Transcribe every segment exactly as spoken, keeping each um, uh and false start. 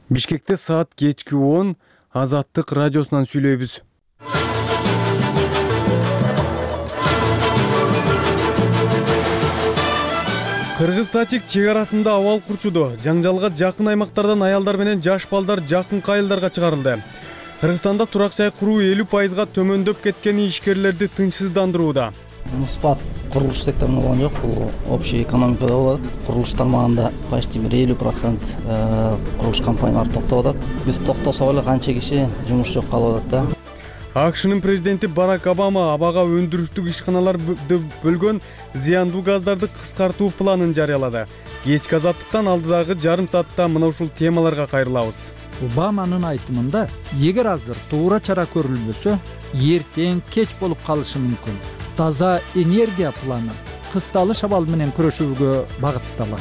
Бишкекте саат кечки он Азаттык радиосунан сүйлөйбүз. Кыргыз-Тажик чек арасында абал курчуду. Жаңжалга жакын аймактардан аялдар менен жаш балдар жакын айылдарга чыгарылды. Кыргызстанда турак жай куруу элүү пайызга төмөндөп кеткени ишкерлерди тынчсыздандырууда. Спад курулуш секторунда болгон жок, бул общий экономикада болот. Курулуш тармагында почти бир элүү процент курулуш компаниялары токтоп атат. Биз токтосок эле канча киши жумуш жок калып атат да. АКШнын президенти Барак Обама абага өндүрүштүк ишканаларды бөлгөн зыяндуу газдарды кыскартуу планын жарыялады. Кечки азаттыктан алдыдагы жарым саатта мына ушул темаларга кайрылабыз. Обаманын айтымында, эгер азыр туура чара көрүлбөсө, эртең кеч болуп калышы мүмкүн. Таза энергия планы кысталыш абалы менен күрөшүүгө багытталат.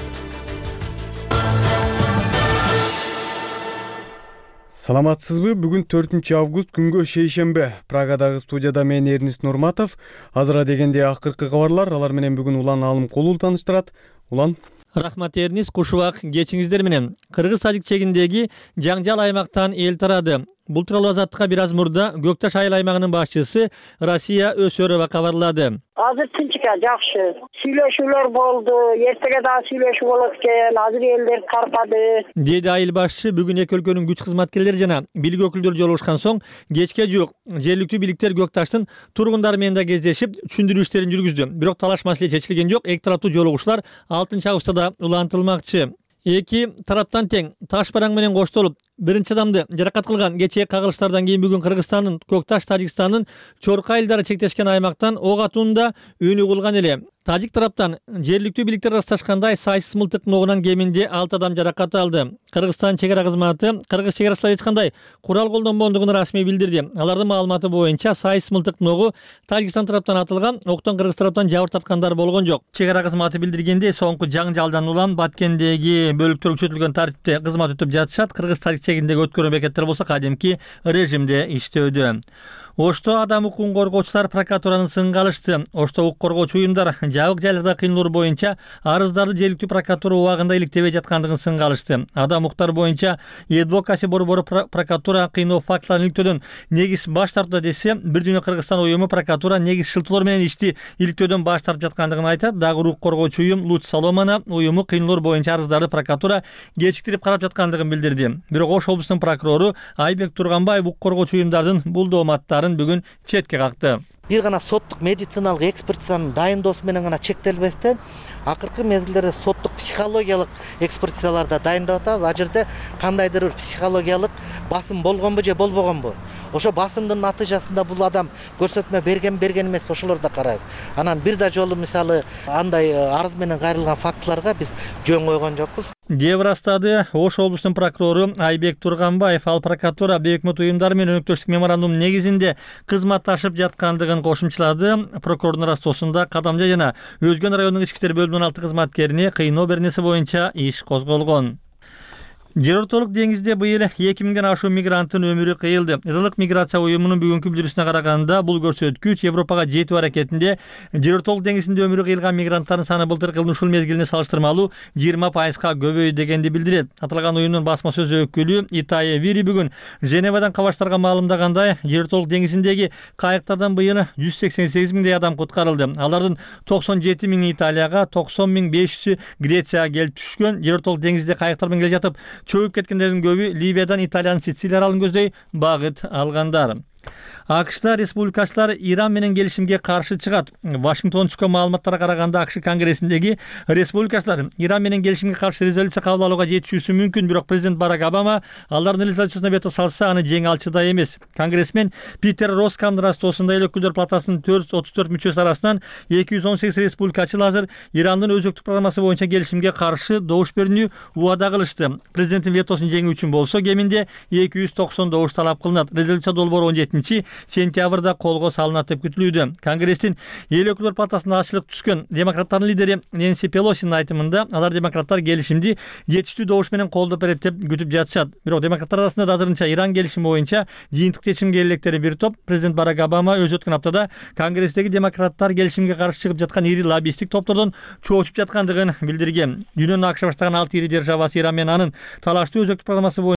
Саламатсызбы? Бүгүн төртүнчү август күнгө шейшембе. Прагадагы студияда мен Эрнис Нурматов. Азыра дегенде акыркы кабарлар, алар менен бүгүн Улан Алымкулов тааныштырат. Улан. Рахмат Эрнис, кушубак кечиңиздер менен. Кыргыз-Тажик чегиндеги жаңжал аймактан эл тарады. Бул тууралуу Азаттыкка бир аз мурда Көк Таш айыл аймагынын башчысы Расия Өсөрова кабарлады. Азыр тынчка, жакшы. Сүйлөшүүлөр болду, эртеге дагы сүйлөшүү болот экен. Азыр элдер таркады. Деди айыл башчы. Бүгүн эки өлкөнүн күч кызматкерлери жана бийлик өкүлдөрү жолугушкан соң кечке жуук жергиликтүү бийликтер Көк Таштын тургундары менен да кездешип, түшүндүрүү иштерин жүргүздү. Бирок талаш маселе чечилген жок. Эки тараптуу жолугушуулар алтынчы августта да улантылмакчы. Эки тараптан тең таш бараң менен коштолуп, биринчи адамды жаракат кылган кечээ кагылыштардан кийин бүгүн Кыргызстандын Көк Таш, Тажикстандын Чорка айылдары чектешкен аймактан ок атуунда өнү кылган эле. Тажик тараптан жергиликтүү бийликтер ырасташкандай сайсыз мылтык ногунан кеминде алты адам жаракат алды. Кыргызстан чек ара кызматы кыргыз чек арасында эч кандай курал колдонбогондугун расмий билдирди. Алардын маалыматы боюнча сайсыз мылтык ногу Тажикстан тараптан атылган, октон кыргыз тараптан жабыр тарткандар болгон жок. Чек ара кызматы билдиргендей, соңку жаңжалдан улам Баткендеги бөлүктөр күчөтүлгөн тартипте кызмат өтүп жатышат. Кыргыз-Тажик чегиндеги өткөрүү бекеттер болсо кадимки режимде иштөөдө. Ошто адам укугун коргоочулар прокуратуранын сынга алышты. Ошто укук коргоочу уюмдар жабык жайларда кыйналуу боюнча арыздарды жергиликтүү прокуратура убагында иликтебей жаткандыгын сынга алышты. Адам укуктар боюнча Адвокаси борбору прокуратура кыйноо фактыларын иликтөөдөн негиз баш тартты десе, Бир Дүйнө Кыргызстан уюму прокуратура негиз шылтоолор менен ишти иликтөөдөн баш тартып жаткандыгын айтат. Дагы укук коргоочу уюм Луч Соломона уюму кыйноолор боюнча арыздарды прокуратура кечиктирип карап жаткандыгын билдирди. Бирок Ош облусунун прокурору Айбек Турганбаев укук коргоочу уюмдардын бул дооматтарын бүгүн четке какты. Бир гана соттук медициналык экспертизанын дайындоосу менен гана чектелбестен, акыркы мезгилдерде соттук психологиялык экспертизалар да дайындап атабыз. Ал жерде кандайдыр бир психологиялык басым болгонбу же болбогонбу? Ошо басымдын натыйжасында бул адам көрсөтмө берген берген эмес, ошолорду да карайбыз. Анан бир да жолу мисалы андай арыз менен кайрылган фактыларга биз жөн койгон жокпуз. деп ырастады Ош облусунун прокурору Айбек Турганбаев. Ал прокуратура бейөкмөт уюмдар менен өнөктөштүк меморандум негизинде кызматташып жаткандыгын кошумчалады. Прокурордун ырастоосунда Кадамжай жана Өзгөн районунун ички иштер бөлүмүнүн алты кызматкерине кыйноо беренеси боюнча иш козголгон. Жер ортолук деңизде быйыл эки миңден ашуун мигранттын өмүрү кыйылды. Ылык миграция уюмунун бүгүнкү билдирүүсүнө караганда, бул көрсөткүч Европага жетүү аракетинде жер ортолук деңизинде өмүрү кыйылган мигранттардын саны былтыркы жылдын ушул мезгилине салыштырмалуу жыйырма пайызга көбөйдү дегенди билдирет. Аталган уюмдун басма сөз өкүлү Итая Вири бүгүн Женевадан кабарчыларга маалымдагандай, жер ортолук деңизиндеги кайыктардан быйыл жүз сексен сегиз миңдей адам куткарылды. Алардын токсон жети миңи Италияга, токсон миң беш жүзү Грецияга келип түшкөн. Жер ортолук деңизде кайыктар менен келе жатып, чөгүп кеткендердин көбү Ливиядан Италиянын Сицилия аралын көздөй багыт алгандар. АКШта республикачылар Иран менен келишимге каршы чыгат. Вашингтон түшкөн маалыматтарга караганда, АКШ конгрессиндеги республикачылар Иран менен келишимге каршы резолюция кабыл алууга жетишүүсү мүмкүн, бирок президент Барак Обама алардын резолюциясына вето салса, аны жеңе алчудай эмес. Конгрессмен Питер Роскамдын ырастоосунда эл өкүлдөр палатасынын төрт жүз отуз төрт мүчөсү арасынан эки жүз он сегиз республикачыл азыр Ирандын өзөктүк программасы боюнча келишимге каршы добуш берүүнү убада кылышты. Президенттин ветосун жеңүү үчүн болсо, кеминде эки жүз токсон добуш талап кылынат. Резолюция долбоору он жетинчи сентябрда колго салынат деп күтүлүүдө. Конгресстин эл өкүлдөр палатасына ачылык түшкөн демократтардын лидери Нэнси Пелосинин айтымында, алар демократтар келишимди жетиштүү добуш менен колдоп берет деп күтүп жатышат. Бирок демократтар арасында да азырынча Иран келишими боюнча жыйынтык чечимге электери бир топ. Президент Барак Обама өз өткөн аптада Конгресстеги демократтар келишимге каршы чыгып жаткан ири лоббисттик топтордон чоочуп жаткандыгын билдирген. Дүйнөнүн АКШ баштаган алты ири державасы Иран менен анын талаштуу өзөктүк программасы